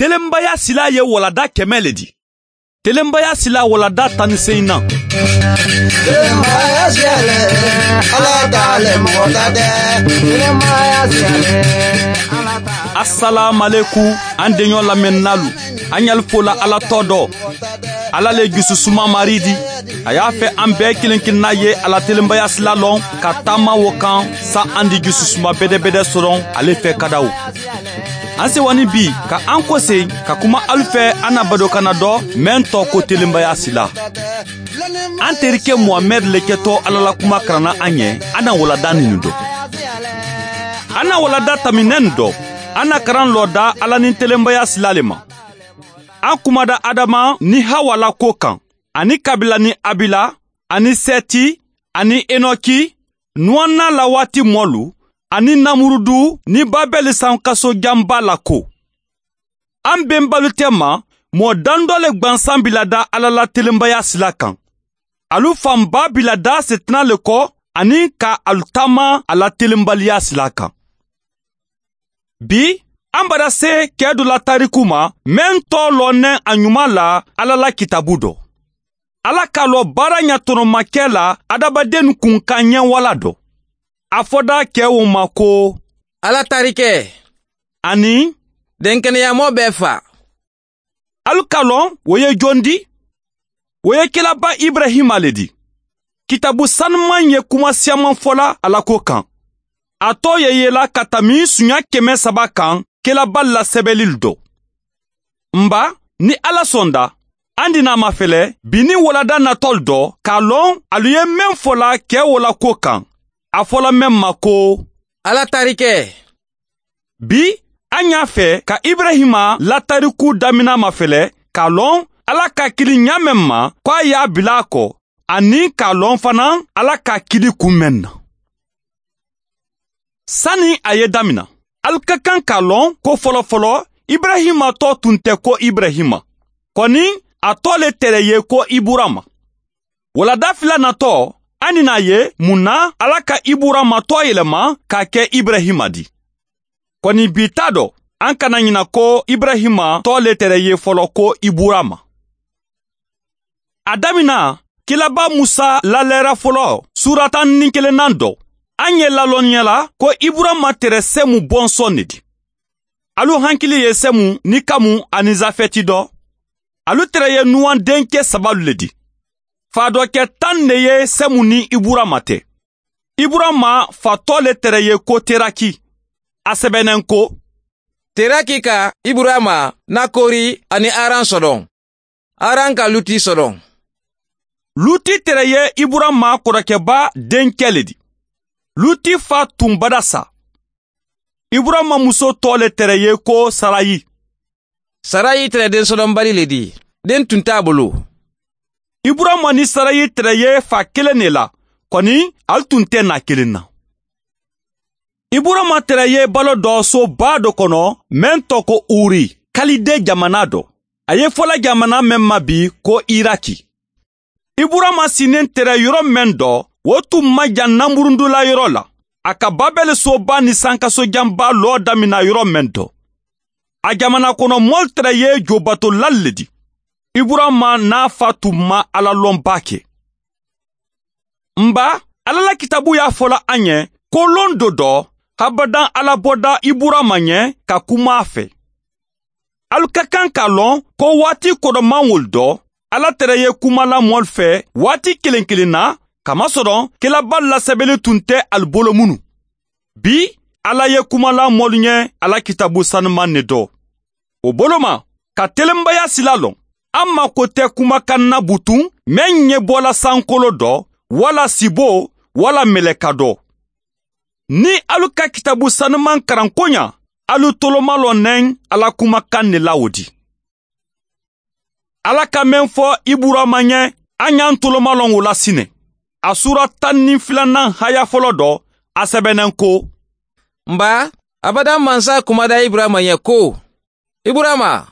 Telenbaya sila ye walada 100 le di. Telenbaya sila walada 18 nan. Telenbaya siyale, Ala t'ale mɔgɔ ta tɛ. Telenbaya siyale, Ala t'ale. Assalamu alaikum an denɲɔ lamɛnnalu. An y'al fola Ala tɔ dɔ. Ala le jususuma mari di. A y'a fɛ an bɛɛ kelen kelenna ye Ala telenbaya sila lɔn ka taama o kan sa an di jususuma bɛdɛbɛdɛ sɔrɔ ale fɛ kadaw. An sewani bi ka an kɔse ka kuma alu fɛ an na badokana dɔ mɛn tɔ ko telenbaya sila. An terikɛ Muhamɛd le kɛtɔ Ala la kuma karanna an ɲɛ, an na walada nin dɔ. An na walada taminɛ nin dɔ, an na karan lɔ da Ala ni telenbaya sila le ma. An kumada Adama ni Hawa la ko kan, ani Kabila ni Abila, ani Sɛti, ani Enoki, Nuwana la waati mɔlu, ani Namurudu ni Babɛli sankaso janba la ko. An bɛnbalu tɛ ma, mɔɔ dandɔ le gwansan bila da Ala la telenbaya sila kan. Alu fanba bila da setina le kɔ ani ka alu taama a la telenbaliya sila kan. Bi, an bara se kɛ dɔ la tariku ma, mɛn tɔ lɔnɛ a ɲuman la Ala la kitabu dɔ. Ala k'a lɔ baara ɲatɔnɔmakɛ la adamaden kun ka ɲɛwala dɔ. A fɔda kɛw ma ko Ala tarikɛ ani denkɛnɛyamɔ bɛɛ fa. Alu k'a lɔn o ye jɔn di? O ye kelaba Ibrahima le di. Kitabu sanuman ye kuma siyaman fɔla Ala ko kan. A tɔ ye yela ka tami sunya 300 kan kelaba la sɛbɛnli dɔ. Nba ni Ala sɔnda, an dina ma fɛlɛ bi ni walada natɔl dɔ k'a lɔn alu ye mɛn fɔla kɛ o la ko kan. A fɔla mɛn ma ko Ala tarikɛ. Bi an y'a fɛ ka Ibrahima latariku damina ma fɛlɛ k'a lɔn Ala ka kili ɲa mɛn ma k'a y'a bila a kɔ, ani k'a lɔn fana Ala ka kili kun mɛn na. Sani a ye damina, alu ka kan k'a lɔn ko fɔlɔfɔlɔ Ibrahima tɔ tun tɛ ko Ibrahima. Kɔni a tɔ le tɛrɛ ye ko Iburama. Walada fila natɔ, an n'a ye mun na Ala ka Iburama tɔ yɛlɛma k'a kɛ Ibrahima di. Kɔni bi ta dɔ, an kana ɲina ko Ibrahima tɔ le tɛrɛ ye fɔlɔ ko Iburama. A damina, kilaba Musa lalɛra fɔlɔ sura 11nan dɔ. An ye lalɔnniya la ko Iburama tɛrɛ Sɛmu bɔnsɔn de di. Alu hankili ye Sɛmu ni Kamu ani Zafɛti dɔ. Alu tɛrɛ ye Nuwan denkɛ sabalu le di. Fadɔkɛ 10 de ye Sɛmu ni Iburama tɛ. Iburama fatɔ le tɛrɛ ye ko Teraki. A sɛbɛnnen ko Teraki ka Iburama, Nakori ani Aran sɔdɔn. Aran ka Luti sɔdɔn. Luti tɛrɛ ye Iburama kɔrɔkɛba denkɛ le di. Luti fa tun bada sa. Iburama muso tɔ le tɛrɛ ye ko Sarayi. Sarayi tɛrɛ den sɔdɔnbali le di. Den tun t'a bolo. Iburama ni Sarayi tɛrɛ ye fa kelen de la, kɔni alu tun tɛ na kelen na. Iburama tɛrɛ ye balo dɔ soba dɔ kɔnɔ mɛn tɔ ko Uri, Kalide jamana dɔ. A ye fɔla jamana mɛn ma bi ko Iraki. Iburama sinen tɛrɛ yɔrɔ mɛn dɔ, o tun ma jan Namurundula yɔrɔ la. A ka Babɛli soba ni sankasojanba lɔ damina yɔrɔ mɛn dɔ. A jamana kɔnɔ mɔl tɛrɛ ye jobatolali le di. Iburama n'a fa tun ma Ala lɔnba kɛ. Nba, Ala la kitabu y'a fɔla an ɲɛ ko lon dɔ dɔ, habadan Ala bɔda Iburama ɲɛ ka kuma a fɛ. Alu ka kan k'a lɔn ko waati kɔrɔman wol dɔ, Ala tɛrɛ ye kuma la mɔl fɛ waati kelen kelen na, kamasɔrɔ kelaba lasɛbɛnni tun tɛ alu bolo minnu. Bi, Ala ye kuma la mɔlu ɲɛ Ala kitabu sanuman ne dɔ. O bolo ma, ka telenbaya sila lɔn. An mako tɛ kumakan na butun mɛn ɲɛ bɔla sankolo dɔ, wala sibo, wala mɛlɛka dɔ. Ni alu ka kitabu sanuman karan koɲa, alu toloma lɔnɛn Ala kumakan ne la o di. Ala ka mɛn fɔ Iburama ɲɛ, an y'an toloma lɔn o la sinɛ. A sura 12nan haya fɔlɔ dɔ, a sɛbɛnnen ko Nba, abadan mansa kumada Iburama ɲɛ ko, Iburama,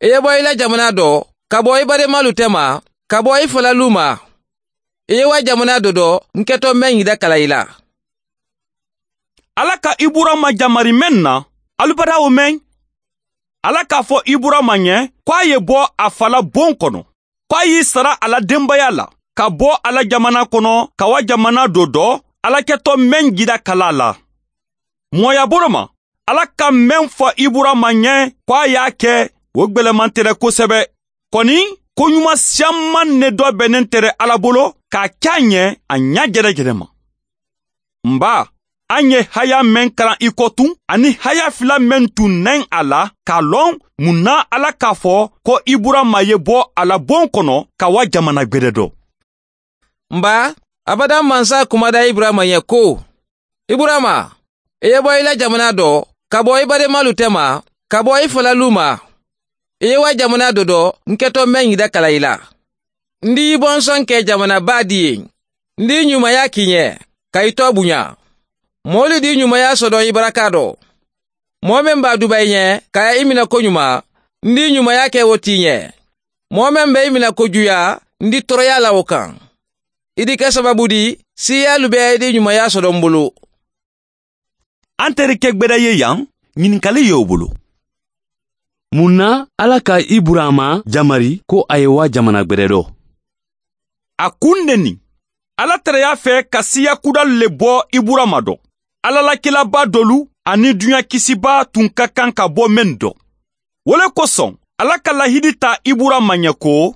i ye bɔ i la jamana dɔ, ka bɔ i badenmalu tɛma, ka bɔ i falalu ma. I ye wa jamana dɔ dɔ, n kɛtɔ mɛn yida kala i la. Ala ka Iburama jamari mɛn na, alu bada o mɛn. Ala k'a fɔ Iburama ɲɛ ko a ye bɔ a fa la bon kɔnɔ, ko a y'i sara a la denbaya la, ka bɔ a la jamana kɔnɔ ka wa jamana dɔ dɔ Ala kɛtɔ mɛn jira kala la. Mɔgɔya bolo ma, Ala ka mɛn fɔ Iburama ɲɛ ko a y'a kɛ, o gwɛlɛman tɛrɛ kosɛbɛ. Kɔni, ko ɲuman siyaman ne dɔ bɛnnen tɛrɛ Ala bolo k'a kɛ a ɲɛ a ɲa jɛrɛjɛrɛ ma. Nba, an ye haya mɛn kalan i kɔ tun, ani haya fila mɛn tun nɛn a la k'a lɔn mun na Ala k'a fɔ ko Iburama ye bɔ a la bon kɔnɔ ka wa jamana gwɛrɛ dɔ. Nba, abada mansa kumada Iburama ɲɛ ko, Iburama, i ye bɔ i la jamana dɔ, ka bɔ i badenmalu tɛma, ka bɔ i falalu ma. I ye wa jamana dɔ dɔ, n kɛtɔ mɛn yida kala i la. N d'i bɔnsɔn kɛ jamanaba di ye. N d'i ɲumanya k'i ɲɛ, ka i tɔ bonya. Mɔɔlu d'i ɲumanya sɔdɔn i baraka dɔ. Mɔɔ min b'a duba i ɲɛ, ka i minɛ koɲuman, n d'i ɲumanya kɛ o t'i ɲɛ. Mɔɔ min bɛ i minɛ kojuya, n di tɔɔrɔya la o kan. I di kɛ sababu di, siyalu bɛɛ di ɲumanya sɔdɔn n bolo. An terikɛ gbɛdɛ ye yan, ɲininkali y'o bolo. Mun na Ala ka Iburama jamari ko a ye wa jamana gbɛdɛ dɔ? A kun de nin. Ala tɛrɛ y'a fɛ ka siya kudal le bɔ Iburama dɔ. Ala la kelaba dɔlu ani duɲa kisiba tun ka kan ka bɔ mɛn dɔ. Wo le kosɔn, Ala ka lahidi ta Iburama ɲɛ ko,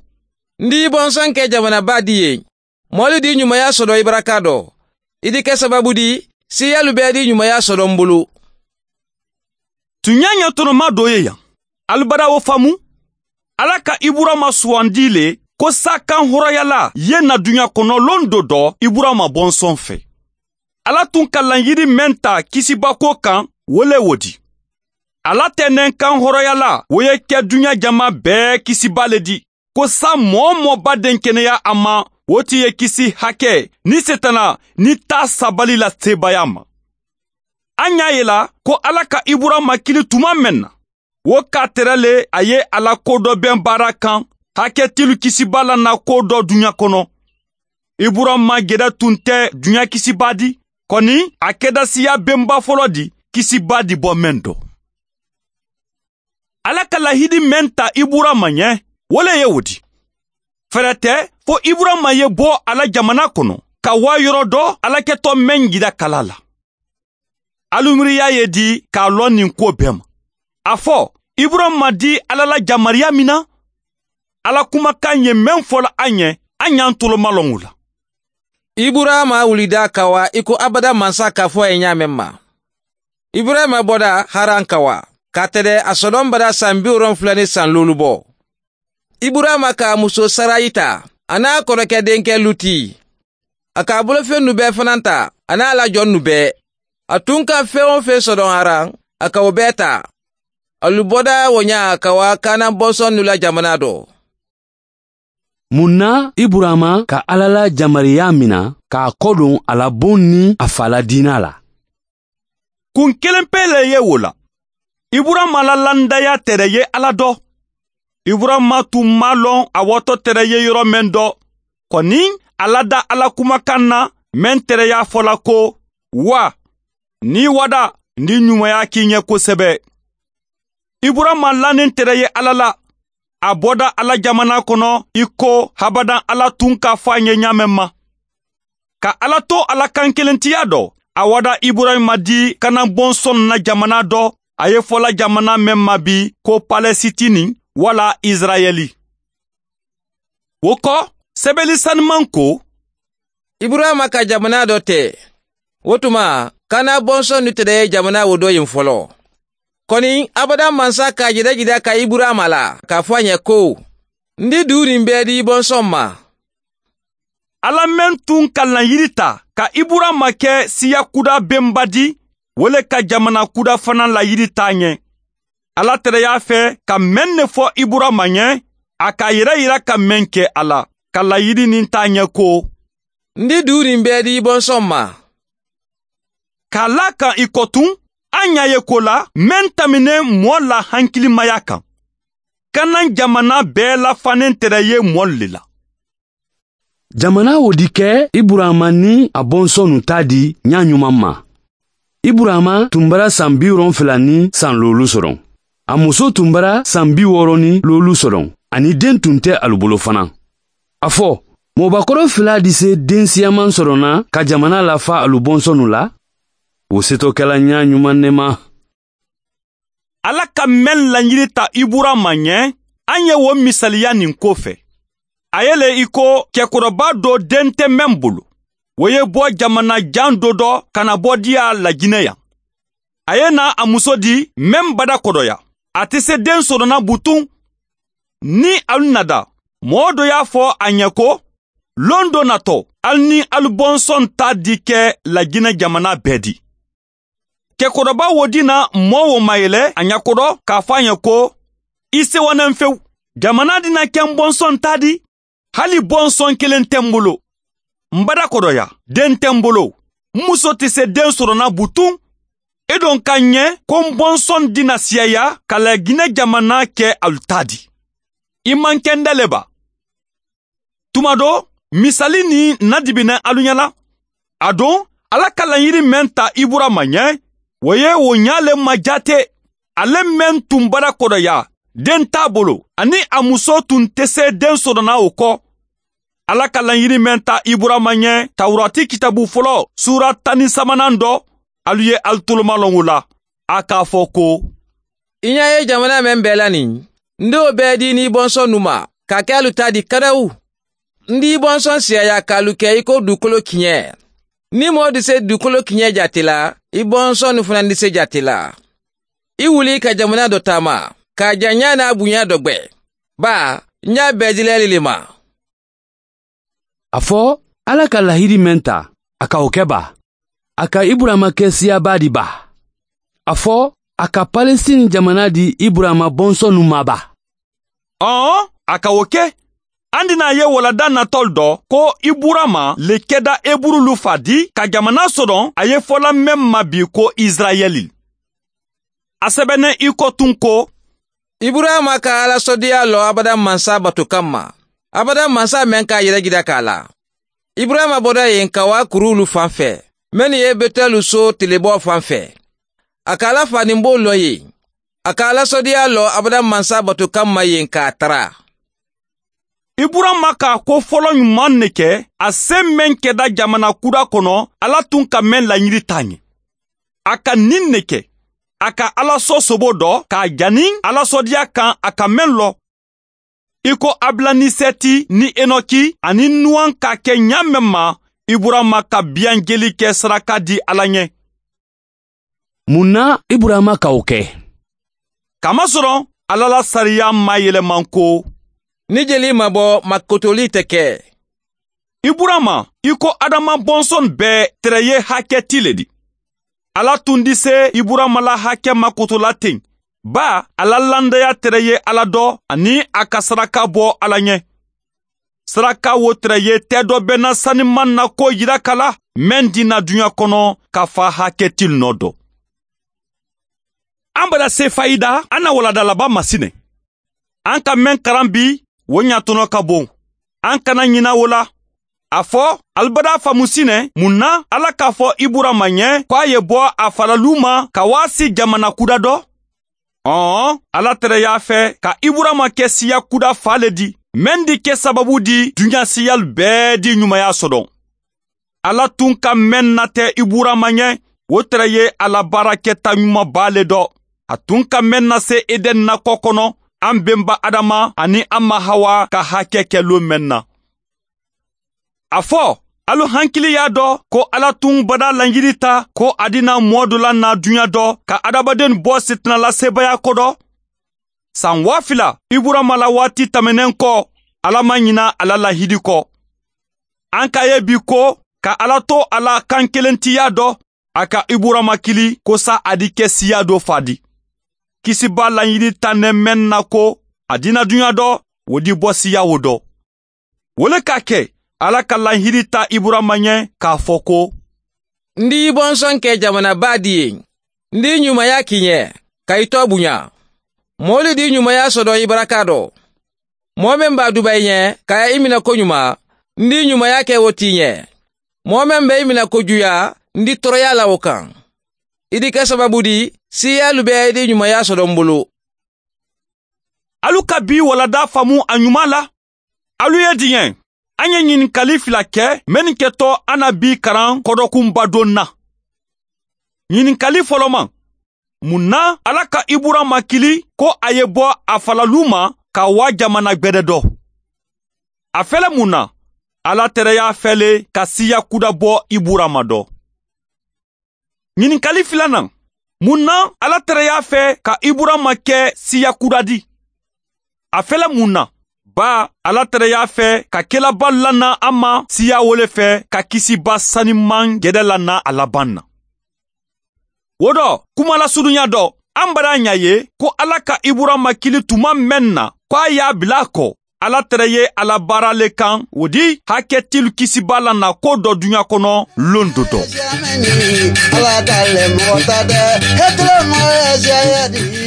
N d'i bɔnsɔn kɛ jamanaba di ye. Mɔɔlu di ɲumanya sɔdɔ i baraka dɔ. I di kɛ sababu di, siyalu bɛɛ di ɲumanya sɔdɔ n bolo. Tuɲa ɲɛtɔnɔma dɔ ye yan. Alibada o faamu? Ala ka Iburama sugandi le ko sa kan hɔrɔnyala ye na duɲa kɔnɔ lon dɔ dɔ Iburama bɔnsɔn fɛ. Ala tun ka laɲini mɛn ta kisibako kan, wo le wo di. Ala tɛ nɛn kan hɔrɔnyala, wo ye kɛ duɲa jama bɛɛ kisiba le di. Ko sa mɔɔ mɔɔ ba den kɛnɛya a ma, o ti ye kisi hakɛ ni setana ni ta sabali la sebaya ma. An y'a ye la ko Ala ka Iburama kili tuma mɛn na, wo k'a tɛrɛ le a ye ala ko dɔ bɛn baara kan, hakɛ tilu kisiba la na ko dɔ duɲa kɔnɔ. Iburama gɛrɛ tun tɛ duɲa kisiba di, kɔni a kɛda siya bɛnba fɔlɔ di, kisiba di bɔ mɛn dɔ. Ala ka lahidi mɛn ta Iburama ɲɛ, wo le ye o di. Fɛrɛ tɛ fo Iburama ye bɔ ala jamana kɔnɔ, ka wa yɔrɔ dɔ ala kɛtɔ mɛn jira kala la. Alumiriya ye di k'a lɔn nin ko bɛɛ ma. A fɔ, Iburama di Ala la jamariya min na, Ala kumakan ye mɛn fɔla an ɲɛ, an y'an tolomalɔn o la. Iburama wulida ka wa i ko abada mansa k'a fɔ a ye ɲa mɛn ma. Iburama bɔda Haran ka wa, ka tɛrɛ a sɔdɔn bara san 75 bɔ. Iburama k'a muso Sarayi ta, a n'a kɔrɔkɛ denkɛ Luti. A k'a bolofɛn nu bɛɛ fana ta, a n'a la jɔn nu bɛɛ. A tun ka fɛn o fɛn sɔdɔn Haran, a ka o bɛɛ ta. Alu bɔda o ɲa ka wa Kanan bɔnsɔn nu la jamana dɔ. Mun na Iburama ka Ala la jamariya mina k'a kɔdon a la bon ni a fa la diina la? Kun kelen pe le ye o la. Iburama la landaya tɛrɛ ye Ala dɔ. Iburama tun m'a lɔn a wɔtɔ tɛrɛ ye yɔrɔ mɛn dɔ. Kɔni a lada Ala kumakan na mɛn tɛrɛ y'a fɔla ko, wa, ni wada ni ɲumanya k'i ɲɛ kosɛbɛ. Iburama lannen tɛrɛ ye Ala la. A bɔda Ala jamana kɔnɔ i ko habadan Ala tun k'a fɔ a ɲɛ ɲa mɛn ma. Ka Ala to Ala kan kelentiya dɔ, a wada Iburahima di Kanan bɔnsɔn na jamana dɔ, a ye fɔla jamana mɛn ma bi ko Palɛsitini wala Israɛli. O kɔ, sɛbɛli saniman ko, Iburahima ka jamana dɔ tɛ. O tuma, Kanan bɔnsɔn nu tɛrɛ ye jamana o dɔ yen fɔlɔ. Kɔni, abada mansa k'a jira jira ka Iburahima la, k'a fɔ a ɲɛ ko, n di dugu nin bɛɛ di i bɔnsɔn ma. Ala mɛn tun ka layiri ta ka Iburahima kɛ siya kuda bɛnba di, wo le ka jamana kuda fana layiri t'a ɲɛ. Ala tɛrɛ y'a fɛ ka mɛn ne fɔ Iburahima ɲɛ, a k'a yɛrɛ yira ka mɛn kɛ a la, ka layiri nin t'a ɲɛ ko, N di dugu nin bɛɛ di i bɔnsɔn ma. K'a la kan i kɔ tun, an y'a ye ko la mɛn taminen mɔɔ la hankilimaya kan. Kanan jamana bɛɛ lafanen tɛrɛ ye mɔɔ le la. Jamana o di kɛ Iburama ni a bɔnsɔnnu ta di ɲa ɲuman ma. Iburama tun bara san 75 sɔrɔ. A muso tun bara san 65 sɔrɔ, ani den tun tɛ alu bolo fana. A fɔ, mɔgɔbakɔrɔ fila di se den siyaman sɔrɔ na ka jamana lafa alu bɔnsɔnnu la? O setɔ kɛla ɲa ɲuman ne ma. Ala ka mɛn laɲini ta Iburama ɲɛ, an ye o misaliya nin ko fɛ. A ye le i ko cɛkɔrɔba dɔ den tɛ mɛn bolo. O ye bɔ jamana jan dɔ dɔ ka na bɔ diya Lajinɛ yan. A ye na a muso di mɛn bada kɔdɔya. A tɛ se den sɔrɔna butun. Ni alu nada, mɔgɔ dɔ y'a fɔ a ɲɛ ko, lon dɔ natɔ, alu ni alu bɔnsɔn ta di kɛ Lajinɛ jamana bɛɛ di. Cɛkɔrɔba wo di na mɔɔ wo mayɛlɛ a ɲɛkɔrɔ k'a fɔ a ɲɛ ko, i sewanen fewu, jamana dina kɛ n bɔnsɔn ta di, hali bɔnsɔn kelen tɛ n bolo. N bada kɔdɔya, den tɛ n bolo, n muso tɛ se den sɔrɔna butun. E don ka ɲɛ ko n bɔnsɔn dina siyaya ka Laginɛ jamana kɛ alu ta di. I man kɛ n dɛlɛ ba. Tuma dɔ, misali ni nadibinɛ alu ɲɛna. A don, Ala ka laɲini mɛn ta Iburama ɲɛ, o ye o ɲale ma jate. Ale mɛn tun bara kɔdɔya, den t'a bolo, ani a muso tun tɛ se den sɔrɔna o kɔ. Ala ka laɲini mɛn ta Iburama ɲɛ, Tawurati kitabu fɔlɔ, sura 13nan dɔ, alu ye alu tolomalɔn o la. A k'a fɔ ko, I ɲa ye jamana mɛn bɛɛ la nin, n d'o bɛɛ di n'i bɔnsɔn nu ma, ka kɛ alu ta di kadawu. N d'i bɔnsɔn siyaya k'alu kɛ i ko dugukolo kiɲɛ. Ni mɔɔ di se dugukolo kiɲɛ jate la, i bɔnsɔn nu fana di se jate la. I wuli ka jamana dɔ taama, k'a janya n'a bonya dɔ gwɛ. Ba, n y'a bɛɛ dilɛli le ma. A fɔ, Ala ka lahidi mɛn ta, a ka o kɛ ba. A ka Iburama kɛ siyaba di ba. A fɔ, a ka Palestine jamana di Iburama bɔnsɔnnu ma ba. Ɔn, a ka o kɛ. An dina ye walada natɔl dɔ ko Iburama le kɛda Eburulu fa di ka jamana sɔrɔ a ye fɔla mɛn ma bi ko Israɛli. A sɛbɛnɛ i ko tun ko, Iburama ka Ala sɔdiya lɔ abada mansa bato kanma. Abada mansa mɛn k'a yɛrɛ jira k'a la. Iburama bɔra yen ka wa kurulu fan fɛ, mɛnnu ye Betɛlu so tilebɔ fan fɛ. A ka Ala faninbo lɔ yen. A ka Ala sɔdiya lɔ abada mansa bato kanma yen k'a tara. Iburama k'a ko fɔlɔ ɲuman ne kɛ, a se mɛn kɛda jamana kura kɔnɔ, Ala tun ka mɛn laɲini t'a ɲɛ. A ka nin ne kɛ, a ka Ala sɔ sobo dɔ k'a jani Ala sɔdiya kan a ka mɛn lɔ. I ko Abila ni Sɛti ni Enoki ani Nuwan k'a kɛ ɲa mɛn ma, Iburama ka biyan jeli kɛ saraka di Ala ɲɛ. Mun na Iburama ka o kɛ? Kamasɔrɔ Ala la sariya ma yɛlɛman ko, Ni jeli ma bɔ, makotoli tɛ kɛ. Iburama, i ko Adama bɔnsɔn bɛɛ tɛrɛ ye hakɛ ti le di. Ala tun di se Iburama la hakɛ makotola ten. Ba, ala landaya tɛrɛ ye Ala dɔ ani a ka saraka bɔ Ala ɲɛ. Saraka wo tɛrɛ ye tɛ dɔ bɛnna saniman na ko yira kala, mɛn dina duɲa kɔnɔ ka fa hakɛ ti nɔ dɔ. An bada se fayida, an na waladalaba masinɛ. An ka mɛn karan bi, o ɲatɔnɔ ka bon. An kana ɲina o la. A fɔ, alibada faamusinɛ, mun na Ala k'a fɔ Iburama ɲɛ k'a ye bɔ a falalu ma ka waasi jamana kuda dɔ? Ɔn, Ala tɛrɛ y'a fɛ ka Iburama kɛ siya kuda fa le di, mɛn di kɛ sababu di duɲa siyal bɛɛ di ɲumanya sɔrɔ. Ala tun ka mɛn natɛ Iburama ɲɛ, o tɛrɛ ye Ala baarakɛta ɲumanba le dɔ. A tun ka mɛn na se Eden nakɔ kɔnɔ, an benba Adama ani an ma Hawa ka hakɛ kɛ lon mɛn na. A fɔ, alu hankili y'a dɔ ko Ala tun bada laɲini ta ko a dina mɔɔ dɔ la na duɲa dɔ ka adamaden bɔ sitanala sebaaya kɔdɔ. San 2000 Iburama la waati tɛmɛnen kɔ, Ala ma ɲina ala lahidi kɔ. An ka ye bi ko ka Ala to a la kan kelentiya dɔ, a ka Iburama kili ko sa a di kɛ siya dɔ fa di. Kisiba laɲini ta nɛ mɛn na ko a dina duɲa dɔ, o di bɔ siya o dɔ. O le k'a kɛ Ala ka lahidi ta Iburama ɲɛ k'a fɔ ko, N d'i bɔnsɔn kɛ jamanaba di ye. N d'i ɲumanya k'i ɲɛ, ka i tɔ bonya. Mɔɔlu d'i ɲumanya sɔdɔ i baraka dɔ. Mɔɔ min b'a duba i ɲɛ, ka i minɛ koɲuman, n d'i ɲumanya kɛ o t'i ɲɛ. Mɔɔ min bɛ i minɛ kojuya, n di tɔɔrɔya la o kan. I di kɛ sababu di, siyalu bɛɛ di ɲumanya sɔrɔ n bolo. Alu ka bi walada faamu a ɲuman la. Alu ye diɲɛ. An ye ɲininkali fila kɛ mɛnni kɛtɔ an na bi karan kɔdɔkunba don na. Ɲininkali fɔlɔ ma. Mun na Ala ka Iburama kili ko a ye bɔ a falalu ma ka wa jamana gbɛdɛ dɔ? A fɛlɛ mun na? Ala tɛrɛ y'a fɛle ka siya kuda bɔ Iburama dɔ. Ɲininkali filanan. Mun na Ala tɛrɛ y'a fɛ ka Iburama kɛ siya kuda di? A fɛlɛ mun na? Ba Ala tɛrɛ y'a fɛ ka kelaba lana an ma siya wole fɛ ka kisiba saniman gɛdɛ lana a laban na. O dɔ kuma lasurunya dɔ an bara ɲa ye ko Ala ka Iburama kili tuma mɛn na ko a y'a bila a kɔ. Ala tɛrɛ ye ala baara le kan o di hakɛtilu kisiba lana ko dɔ duɲa kɔnɔ lon do dɔ.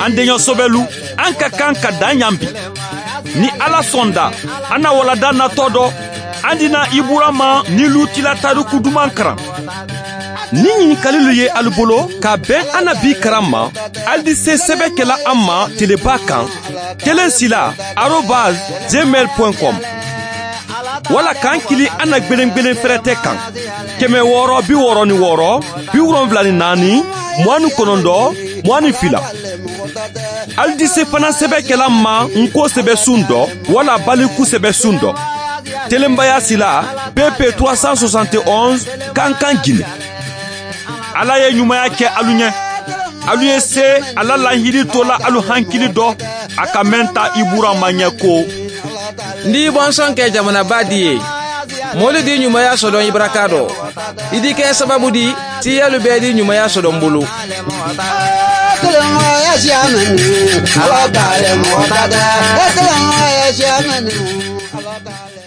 An deɲɔ sɔbɛlu an ka kan ka dan yan bi. Ni Ala sɔnda an na walada natɔ dɔ an dina Iburama ni Lutila tariku duman karan. Ni ɲininkalilu ye alu bolo ka bɛn an na bi karan ma, ali di se sɛbɛ kɛla an ma teleba kan telesila@gmail.com wala k'an kili an na gbelengbelen fɛrɛtɛ kan 666 74 29 22. Ali di se fana sɛbɛ kɛla ma nko sɛbɛ sun dɔ wala baliku sɛbɛ sun dɔ. Telenbaya sila BP 371 Kankan Guinée. Ala ye ɲumanya kɛ alu ɲɛ. Alu ye se ala lahiri to la alu hankili dɔ a ka mɛn ta Iburama ɲɛ ko. N di bɔnsɔn kɛ jamanaba di ye. Mɔlu di ɲumanya sɔdɔn i baraka dɔ. I di kɛ sababu di siyalu bɛɛ di ɲumanya sɔdɔn bolo. Ala t'ale mɔgɔ ta tɛ. Ala t'ale.